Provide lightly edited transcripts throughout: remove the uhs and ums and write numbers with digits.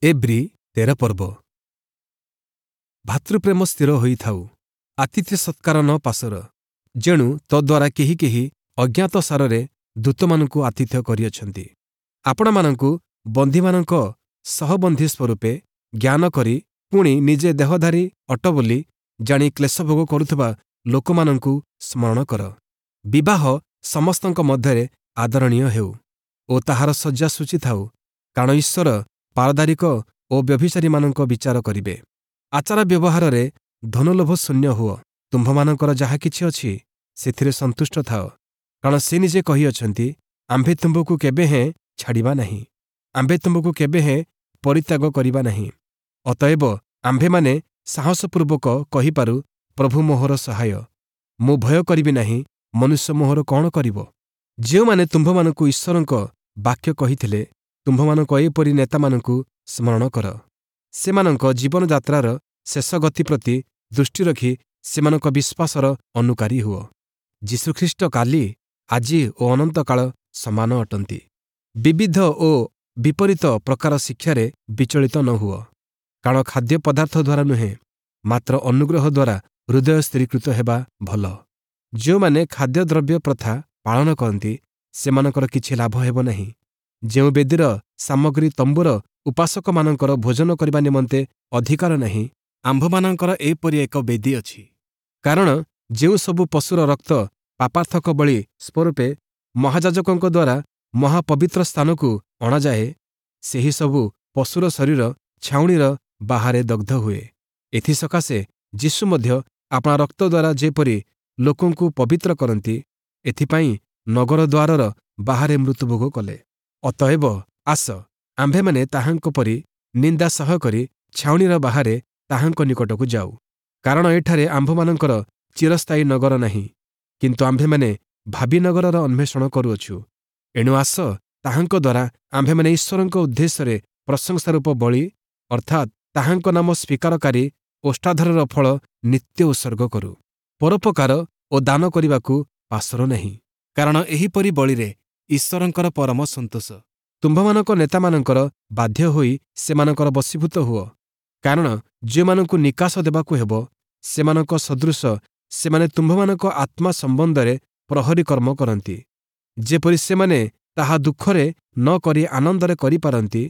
ଏବ୍ରୀ 13 ପର୍ବ। ଭାତୃପ୍ରେମ ସ୍ଥିର ହୋଇଥାଉ। ଆତିଥ୍ୟ ସତ୍କାର ନ ପାସୋର, ଯେଣୁ ତଦ୍ୱାରା କେହି କେହି ଅଜ୍ଞାତସାରରେ ଦୂତମାନଙ୍କୁ ଆତିଥ୍ୟ କରିଅଛନ୍ତି। ଆପଣାମାନଙ୍କୁ ବନ୍ଦୀମାନଙ୍କ ସହବନ୍ଦୀ ସ୍ୱରୂପେ ଜ୍ଞାନ କରି ପୁଣି ନିଜେ ଦେହଧାରୀ ଅଟ ବୋଲି ଜାଣି କ୍ଲେଶଭୋଗ କରୁଥିବା ଲୋକମାନଙ୍କୁ ସ୍ମରଣ କର। ବିବାହ ସମସ୍ତଙ୍କ ମଧ୍ୟରେ ଆଦରଣୀୟ ହେଉ ଓ ତାହାର ଶଯ୍ୟା ଶୁଚି ଥାଉ, କାରଣ ଈଶ୍ୱର ପାରଦାରିକ ଓ ବ୍ୟଭିଚାରୀମାନଙ୍କ ବିଚାର କରିବେ। ଆଚାର ବ୍ୟବହାରରେ ଧନଲୋଭ ଶୂନ୍ୟ ହୁଅ। ତୁମ୍ଭମାନଙ୍କର ଯାହା କିଛି ଅଛି, ସେଥିରେ ସନ୍ତୁଷ୍ଟ ଥାଅ, କାରଣ ସେ ନିଜେ କହିଅଛନ୍ତି, ଆମ୍ଭେ ତୁମ୍ଭକୁ କେବେ ହେଁ ଛାଡ଼ିବା ନାହିଁ, ଆମ୍ଭେ ତୁମ୍ଭକୁ କେବେ ହେଁ ପରିତ୍ୟାଗ କରିବା ନାହିଁ। ଅତଏବ ଆମ୍ଭେମାନେ ସାହସପୂର୍ବକ କହିପାରୁ, ପ୍ରଭୁ ମୋହର ସହାୟ, ମୁଁ ଭୟ କରିବି ନାହିଁ, ମନୁଷ୍ୟ ମୋହର କ'ଣ କରିବ? ଯେଉଁମାନେ ତୁମ୍ଭମାନଙ୍କୁ ଈଶ୍ୱରଙ୍କ ବାକ୍ୟ କହିଥିଲେ, ତୁମ୍ଭମାନଙ୍କ ଏପରି ନେତାମାନଙ୍କୁ ସ୍ମରଣ କର। ସେମାନଙ୍କ ଜୀବନଯାତ୍ରାର ଶେଷ ଗତି ପ୍ରତି ଦୃଷ୍ଟି ରଖି ସେମାନଙ୍କ ବିଶ୍ୱାସର ଅନୁକାରୀ ହୁଅ। ଯୀଶୁଖ୍ରୀଷ୍ଟ କାଲି, ଆଜି ଓ ଅନନ୍ତକାଳ ସମାନ ଅଟନ୍ତି। ବିବିଧ ଓ ବିପରୀତ ପ୍ରକାର ଶିକ୍ଷାରେ ବିଚଳିତ ନ ହୁଅ, କାରଣ ଖାଦ୍ୟ ପଦାର୍ଥ ଦ୍ୱାରା ନୁହେଁ, ମାତ୍ର ଅନୁଗ୍ରହ ଦ୍ୱାରା ହୃଦୟ ସ୍ଥିରୀକୃତ ହେବା ଭଲ। ଯେଉଁମାନେ ଖାଦ୍ୟଦ୍ରବ୍ୟ ପ୍ରଥା ପାଳନ କରନ୍ତି, ସେମାନଙ୍କର କିଛି ଲାଭ ହେବ ନାହିଁ। ଯେଉଁ ବେଦୀର ସାମଗ୍ରୀ ତମ୍ବୁର ଉପାସକମାନଙ୍କର ଭୋଜନ କରିବା ନିମନ୍ତେ ଅଧିକାର ନାହିଁ, ଆମ୍ଭମାନଙ୍କର ଏପରି ଏକ ବେଦୀ ଅଛି। କାରଣ ଯେଉଁ ସବୁ ପଶୁର ରକ୍ତ ପାପାର୍ଥକ ବଳି ସ୍ୱରୂପେ ମହାଯାଜକଙ୍କ ଦ୍ୱାରା ମହାପବିତ୍ର ସ୍ଥାନକୁ ଅଣାଯାଏ, ସେହି ସବୁ ପଶୁର ଶରୀର ଛାଉଣିର ବାହାରେ ଦଗ୍ଧ ହୁଏ। ଏଥିସକାଶେ ଯୀଶୁ ମଧ୍ୟ ଆପଣା ରକ୍ତ ଦ୍ୱାରା ଯେପରି ଲୋକଙ୍କୁ ପବିତ୍ର କରନ୍ତି, ଏଥିପାଇଁ ନଗର ଦ୍ୱାରର ବାହାରେ ମୃତ୍ୟୁଭୋଗ କଲେ। ଅତଏବ ଆସ, ଆମ୍ଭେମାନେ ତାହାଙ୍କ ପରି ନିନ୍ଦା ସହ୍ୟ କରି ଛାଉଣିର ବାହାରେ ତାହାଙ୍କ ନିକଟକୁ ଯାଉ। କାରଣ ଏଠାରେ ଆମ୍ଭମାନଙ୍କର ଚିରସ୍ଥାୟୀ ନଗର ନାହିଁ, କିନ୍ତୁ ଆମ୍ଭେମାନେ ଭାବୀ ନଗରର ଅନ୍ୱେଷଣ କରୁଅଛୁ। ଏଣୁ ଆସ, ତାହାଙ୍କ ଦ୍ୱାରା ଆମ୍ଭେମାନେ ଈଶ୍ୱରଙ୍କ ଉଦ୍ଦେଶ୍ୟରେ ପ୍ରଶଂସାରୂପ ବଳି, ଅର୍ଥାତ୍ ତାହାଙ୍କ ନାମ ସ୍ୱୀକାରକାରୀ ଓଷ୍ଠାଧରର ଫଳ ନିତ୍ୟ ଉତ୍ସର୍ଗ କରୁ। ପରୋପକାର ଓ ଦାନ କରିବାକୁ ପାସୋର ନାହିଁ, କାରଣ ଏହିପରି ବଳିରେ ଈଶ୍ୱରଙ୍କର ପରମ ସନ୍ତୋଷ। ତୁମ୍ଭମାନଙ୍କ ନେତାମାନଙ୍କର ବାଧ୍ୟ ହୋଇ ସେମାନଙ୍କର ବଶୀଭୂତ ହୁଅ, କାରଣ ଯେଉଁମାନଙ୍କୁ ନିକାଶ ଦେବାକୁ ହେବ, ସେମାନଙ୍କ ସଦୃଶ ସେମାନେ ତୁମ୍ଭମାନଙ୍କ ଆତ୍ମା ସମ୍ବନ୍ଧରେ ପ୍ରହରୀ କର୍ମ କରନ୍ତି, ଯେପରି ସେମାନେ ତାହା ଦୁଃଖରେ ନ କରି ଆନନ୍ଦରେ କରିପାରନ୍ତି।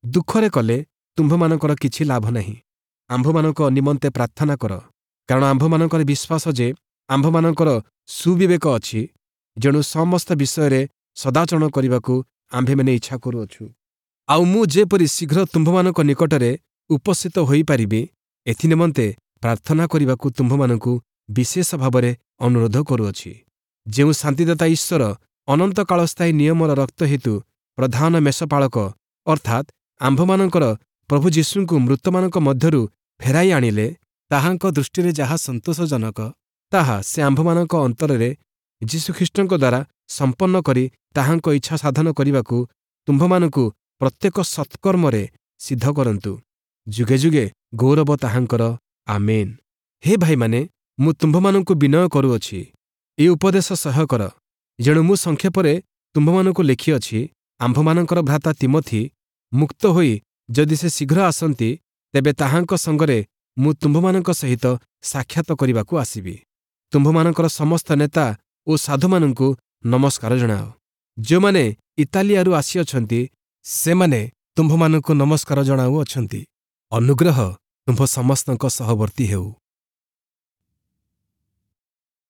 ଦୁଃଖରେ କଲେ ତୁମ୍ଭମାନଙ୍କର କିଛି ଲାଭ ନାହିଁ। ଆମ୍ଭମାନଙ୍କ ନିମନ୍ତେ ପ୍ରାର୍ଥନା କର, କାରଣ ଆମ୍ଭମାନଙ୍କର ବିଶ୍ୱାସ ଯେ ଆମ୍ଭମାନଙ୍କର ସୁବିବେକ ଅଛି, ଯେଣୁ ସମସ୍ତ ବିଷୟରେ ସଦାଚରଣ କରିବାକୁ ଆମ୍ଭେମାନେ ଇଚ୍ଛା କରୁଅଛୁ। ଆଉ ମୁଁ ଯେପରି ଶୀଘ୍ର ତୁମ୍ଭମାନଙ୍କ ନିକଟରେ ଉପସ୍ଥିତ ହୋଇପାରିବି, ଏଥିନିମନ୍ତେ ପ୍ରାର୍ଥନା କରିବାକୁ ତୁମ୍ଭମାନଙ୍କୁ ବିଶେଷ ଭାବରେ ଅନୁରୋଧ କରୁଅଛି। ଯେଉଁ ଶାନ୍ତିଦାତା ଈଶ୍ୱର ଅନନ୍ତକାଳସ୍ଥାୟୀ ନିୟମର ରକ୍ତ ହେତୁ ପ୍ରଧାନ ମେଷପାଳକ, ଅର୍ଥାତ୍ ଆମ୍ଭମାନଙ୍କର ପ୍ରଭୁ ଯୀଶୁଙ୍କୁ ମୃତମାନଙ୍କ ମଧ୍ୟରୁ ଫେରାଇ ଆଣିଲେ, ତାହାଙ୍କ ଦୃଷ୍ଟିରେ ଯାହା ସନ୍ତୋଷଜନକ, ତାହା ସେ ଆମ୍ଭମାନଙ୍କ ଅନ୍ତରରେ ଯୀଶୁଖ୍ରୀଷ୍ଟଙ୍କ ଦ୍ୱାରା ସମ୍ପନ୍ନ କରି ତାହାଙ୍କ ଇଚ୍ଛା ସାଧନ କରିବାକୁ ତୁମ୍ଭମାନଙ୍କୁ ପ୍ରତ୍ୟେକ ସତ୍କର୍ମରେ ସିଦ୍ଧ କରନ୍ତୁ। ଯୁଗେ ଯୁଗେ ଗୌରବ ତାହାଙ୍କର, ଆମେନ୍। ହେ ଭାଇମାନେ, ମୁଁ ତୁମ୍ଭମାନଙ୍କୁ ବିନୟ କରୁଅଛି, ଏ ଉପଦେଶ ସହ୍ୟ କର। ଯେଣୁ ମୁଁ ସଂକ୍ଷେପରେ ତୁମ୍ଭମାନଙ୍କୁ ଲେଖିଅଛି। ଆମ୍ଭମାନଙ୍କର ଭ୍ରାତା ତିମଥି ମୁକ୍ତ ହୋଇ ଯଦି ସେ ଶୀଘ୍ର ଆସନ୍ତି, ତେବେ ତାହାଙ୍କ ସଙ୍ଗରେ ମୁଁ ତୁମ୍ଭମାନଙ୍କ ସହିତ ସାକ୍ଷାତ କରିବାକୁ ଆସିବି। ତୁମ୍ଭମାନଙ୍କର ସମସ୍ତ ନେତା ଓ ସାଧୁମାନଙ୍କୁ ନମସ୍କାର ଜଣାଅ। ଯେଉଁମାନେ ଇତାଲିଆରୁ ଆସିଅଛନ୍ତି, ସେମାନେ ତୁମ୍ଭମାନଙ୍କୁ ନମସ୍କାର ଜଣାଉଅଛନ୍ତି। ଅନୁଗ୍ରହ ତୁମ୍ଭ ସମସ୍ତଙ୍କ ସହବର୍ତ୍ତୀ ହେଉ।